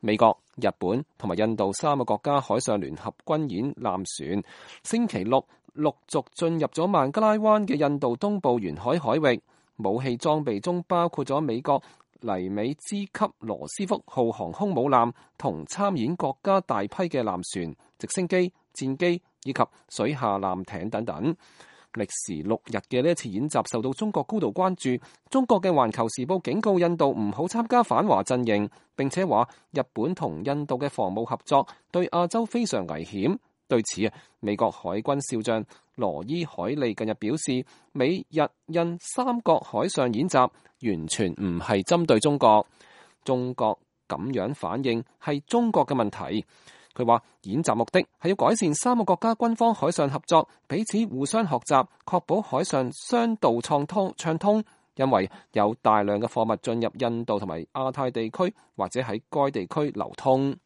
美國、日本同埋印度3個國家海上聯合軍演艦船星期六陸續進入咗孟加拉灣嘅印度東部沿海海域，武器裝備中包括咗美國尼美茲級羅斯福號航空母艦同參演國家大批嘅艦船、直升機、戰機以及水下艦艇等等。歷時6日嘅呢一次演習受到中國高度關注。中國嘅《環球時報》警告印度唔好參加反華陣營，並且話日本同印度嘅防務合作對亞洲非常危險。對此美國海軍少將羅伊海利近日表示，美日印3國海上演習完全唔係針對中國，中國咁樣反應係中國嘅問題。佢話演習目的係要改善3個國家軍方海上合作，彼此互相學習，確保海上商道暢通。因為有大量嘅貨物進入印度同埋亞太地區，或者喺該地區流通。